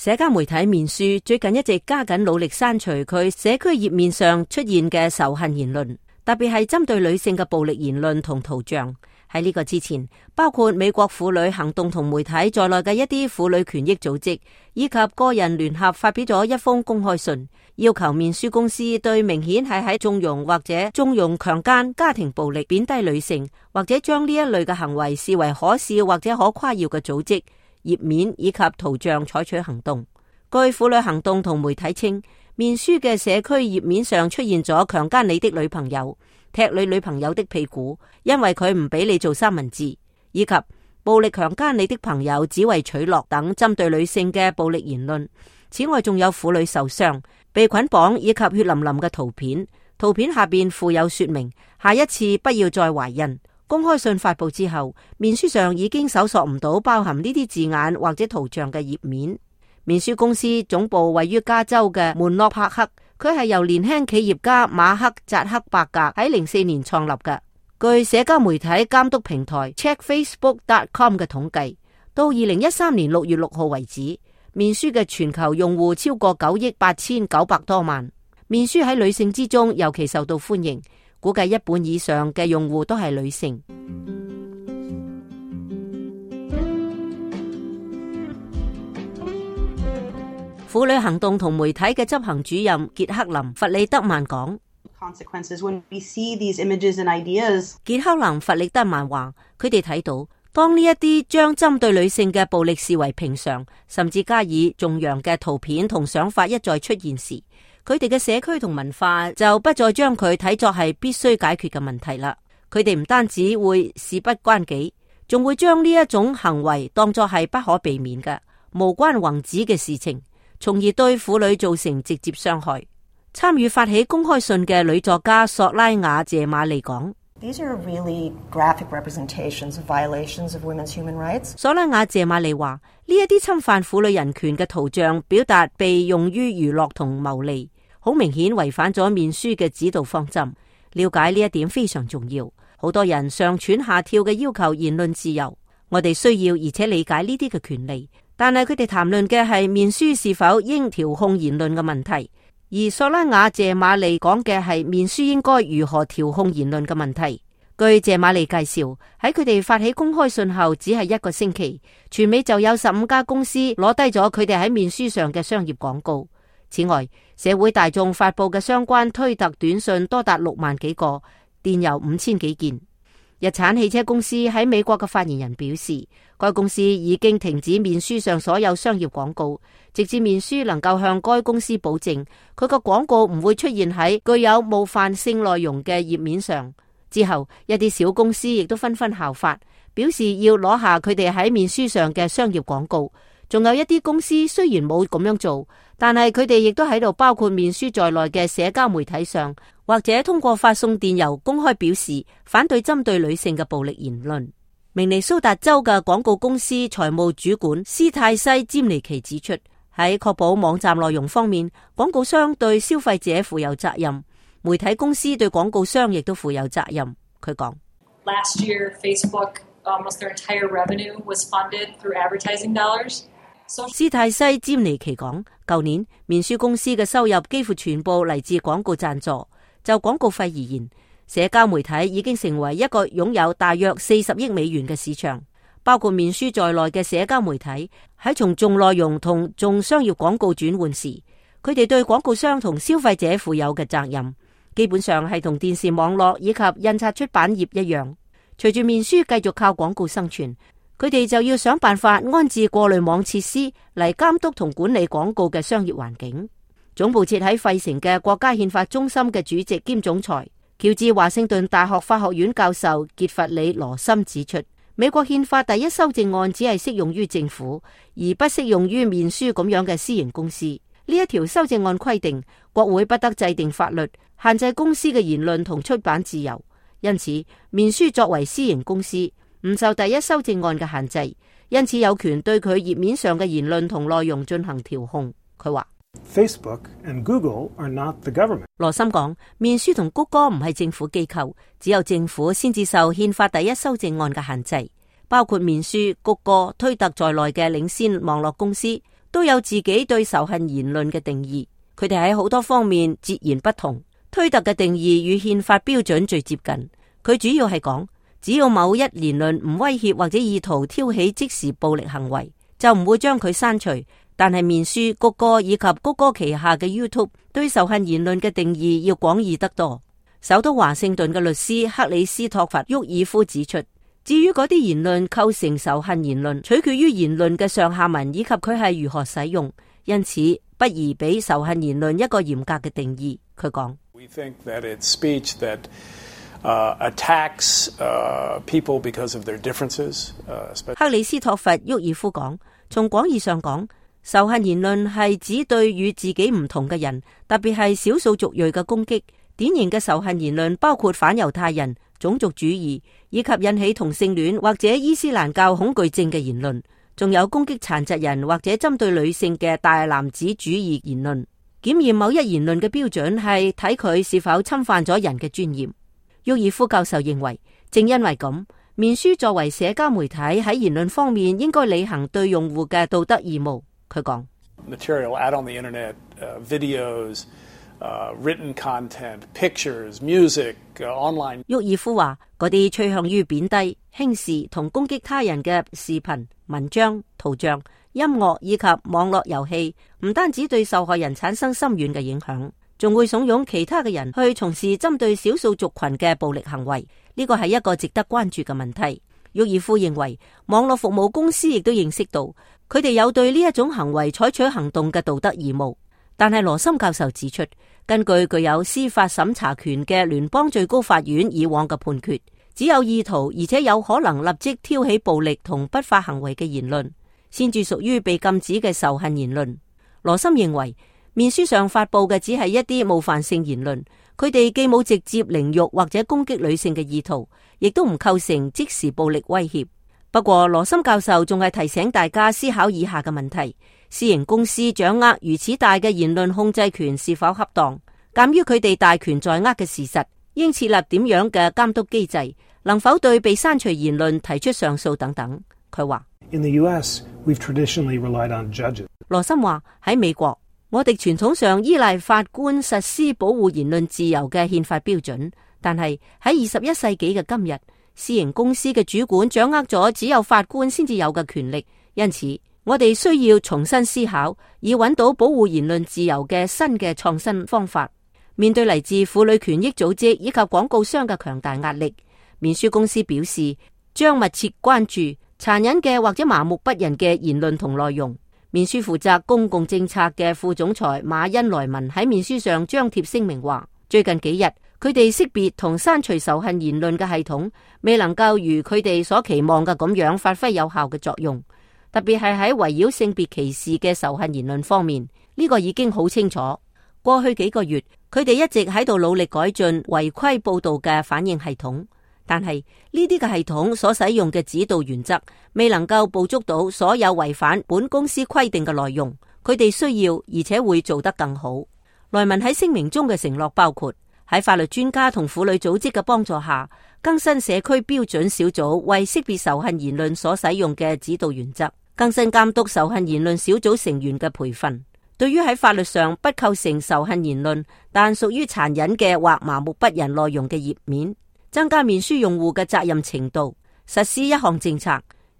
社交媒體面書最近一直加緊努力刪除佢社區頁面上出現嘅仇恨言論，特別係針對女性嘅暴力言論同圖像。喺呢個之前，包括美國婦女行動同媒體在內嘅一啲婦女權益組織以及個人聯合發表咗一封公開信，要求面書公司對明顯係喺縱容或者縱容強姦、家庭暴力、貶低女性或者將呢一類嘅行為視為可笑或者可誇耀嘅組織頁面以及圖像採取行動。據婦女行動同媒體稱，面書嘅社區頁面上出現咗強姦你的女朋友、踢你女朋友的屁股，因為佢唔俾你做三文治，以及暴力強姦你的朋友只為取樂等針對女性嘅暴力言論。此外，仲有婦女受傷、被捆綁以及血淋淋嘅圖片，圖片下邊附有說明，下一次不要再懷孕。公開信發佈之後，面書上已經搜索唔到包含呢啲字眼或者圖像嘅頁面。面書公司總部位於加州嘅門諾帕克，佢係由年輕企業家馬克扎克伯格喺04年創立嘅。據社交媒體監督平台 CheckFacebook.com 嘅統計，到2013年6月6號為止，面書嘅全球用戶超過9億8900多萬。面書喺女性之中尤其受到歡迎，估計一半以上嘅用戶都係女性。婦女行動同媒體嘅執行主任傑克林·弗里德曼講：傑克林·弗里德曼話，佢哋睇到當呢一啲將針對女性嘅暴力視為平常，甚至加以頌揚嘅圖片同想法一再出現時，佢哋嘅社區同文化就不再將佢睇作係必須解決嘅問題啦。佢哋唔單止會事不關己，仲會將呢一種行為當作係不可避免嘅無關宏旨嘅事情，從而對婦女造成直接傷害。參與發起公開信嘅女作家索拉雅謝馬利講：索拉雅謝馬利話，呢一啲侵犯婦女人權嘅圖像表達被用於娛樂同牟利，好明顯違反咗面書嘅指導方針。了解呢一點非常重要。好多人上躥下跳嘅要求言論自由，我哋需要而且理解呢啲嘅權利。但係佢哋談論嘅係面書是否應調控言論嘅問題，而索拉雅謝馬利講嘅係面書應該如何調控言論嘅問題。據謝馬利介紹，喺佢哋發起公開信後只係1個星期，全美就有15家公司攞低咗佢哋喺面書上嘅商業廣告。此外，社會大眾發佈嘅相關推特短信多達6萬幾個，電郵5000幾件。日產汽車公司喺美國嘅發言人表示，該公司已經停止面書上所有商業廣告，直至面書能夠向該公司保證佢個廣告唔會出現喺具有冒犯性內容嘅頁面上。之後，一啲小公司亦都紛紛效法，表示要攞下佢哋喺面書上嘅商業廣告。仲有一啲公司雖然冇咁樣做，但係佢哋亦都喺度包括面書在內嘅社交媒體上，或者通過發送電郵公開表示反對針對女性嘅暴力言論。明尼蘇達州嘅廣告公司財務主管斯泰西詹尼奇指出，喺確保網站內容方面，廣告商對消費者負有責任，媒體公司對廣告商亦都負有責任。佢講：Last year, Facebook almost their entire revenue was funded through advertising dollars. 斯泰西詹尼奇講，舊年面書公司嘅收入幾乎全部嚟自廣告贊助。就廣告費而言，社交媒體已經成為一個擁有大約40億美元嘅市場。包括面書在內嘅社交媒體喺從重內容同重商業廣告轉換時，佢哋對廣告商同消費者負有嘅責任，基本上係同電視網絡以及印刷出版業一樣。隨住面書繼續靠廣告生存，佢哋就要想辦法安置過濾網設施嚟監督同管理廣告嘅商業環境。總部設喺費城嘅國家憲法中心嘅主席兼總裁喬治華盛頓大學法學院教授傑弗里羅森指出，美國憲法第1修正案只係適用於政府，而不適用於面書咁樣嘅私營公司。呢一條修正案規定，國會不得制定法律限制公司嘅言論同出版自由。因此，面書作為私營公司，唔受第1修正案嘅限制，因此有權對佢頁面上嘅言論同內容進行調控。佢話Facebook and Google are not the government. 羅森講，面書同谷歌唔係政府機構，只有政府先至受憲法第1修正案嘅限制。包括面書、谷歌、推特在內嘅領先網絡公司都有自己對仇恨言論嘅定義，佢哋喺好多方面截然不同。推特嘅定義與憲法標準最接近，佢主要係講，只要某一言論唔威脅或者意圖挑起即時暴力行為，就唔會將佢刪除。但係面書、谷歌以及谷歌旗下嘅 YouTube 對仇恨言論嘅定義要廣義得多。首都華盛頓嘅律師克里斯托弗·沃爾夫指出，至於嗰啲言論構成仇恨言論，取決於言論嘅上下文以及佢係如何使用，因此不宜俾仇恨言論一個嚴格嘅定義。佢講：We think that it's speech that attacks people because of their differences. 克里斯托弗·沃爾夫講，從廣義上講，仇恨言論係指對與自己唔同嘅人，特別係少數族裔嘅攻擊。典型嘅仇恨言論包括反猶太人、種族主義，以及引起同性戀或者伊斯蘭教恐懼症嘅言論，仲有攻擊殘疾人或者針對女性嘅大男子主義言論。檢驗某一言論嘅標準係睇佢是否侵犯咗人嘅尊嚴。沃爾夫教授認為，正因為咁，面書作為社交媒體喺言論方面應該履行對用戶嘅道德義務。佢講：Material out on the internet, videos, written content, pictures, music, online。沃爾夫話：嗰啲趨向於貶低、輕視同攻擊他人嘅視頻、文章、圖像、音樂以及網絡遊戲，唔單止對受害人產生深遠嘅影響，仲會慫恿其他嘅人去從事針對少數族群嘅暴力行為。呢個係一個值得關注嘅問題。沃爾夫認為，網絡服務公司亦都認識到，佢哋有對呢一種行為採取行動嘅道德義務。但係羅森教授指出，根據具有司法審查權嘅聯邦最高法院以往嘅判決，只有意圖而且有可能立即挑起暴力同不法行為嘅言論，先至屬於被禁止嘅仇恨言論。羅森認為，面書上發佈嘅只係一啲冒犯性言論，佢哋既冇直接凌辱或者攻擊女性嘅意圖，亦都唔構成即時暴力威脅。不過羅森教授仲係提醒大家思考以下嘅問題：私營公司掌握如此大嘅言論控制權是否恰當？鑒於佢哋大權在握嘅事實，應設立點樣嘅監督機制？能否對被刪除言論提出上訴等等？佢話：In the US, we've traditionally relied on judges. 羅森話，喺美國，我哋傳統上依賴法官實施保護言論自由嘅憲法標準，但係喺21世紀嘅今日，私營公司嘅主管掌握咗只有法官先至有嘅權力，因此我哋需要重新思考，以揾到保護言論自由嘅新嘅創新方法。面對嚟自婦女權益組織以及廣告商嘅強大壓力，面書公司表示將密切關注殘忍嘅或者麻木不仁嘅言論同內容。面書負責公共政策嘅副總裁馬恩萊文喺面書上張貼聲明話，最近幾日佢哋識別同刪除仇恨言論嘅系統未能夠如佢哋所期望嘅咁樣發揮有效嘅作用，特別係喺圍繞性別歧視嘅仇恨言論方面，呢個已經好清楚。過去幾個月，佢哋一直喺度努力改進違規報道嘅反應系統，但係呢啲嘅系統所使用嘅指導原則未能夠捕捉到所有違反本公司規定嘅內容。佢哋需要而且會做得更好。萊文喺聲明中嘅承諾包括喺法律專家同婦女組織嘅幫助下，更新社區標準小組為識別仇恨言論所使用嘅指導原則，更新監督仇恨言論小組成員嘅培訓。對於喺法律上不構成仇恨言論但屬於殘忍嘅或麻木不仁內容嘅頁面，增加面書用戶嘅責任程度，實施一項政策，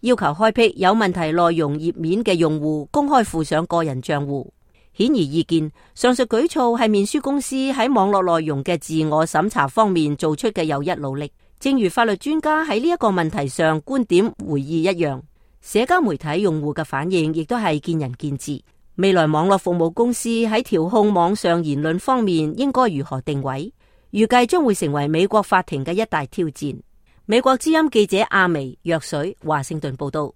要求開闢有問題內容頁面嘅用戶公開附上個人賬戶。顯而易見，上述舉措係面書公司喺網絡內容嘅自我審查方面做出嘅又一努力。正如法律專家喺呢一個問題上觀點回憶一樣，社交媒體用戶嘅反應亦都係見仁見智。未來網絡服務公司喺調控網上言論方面應該如何定位，預計將會成為美國法庭嘅一大挑戰。美國之音記者阿薇、藥水華盛頓報道。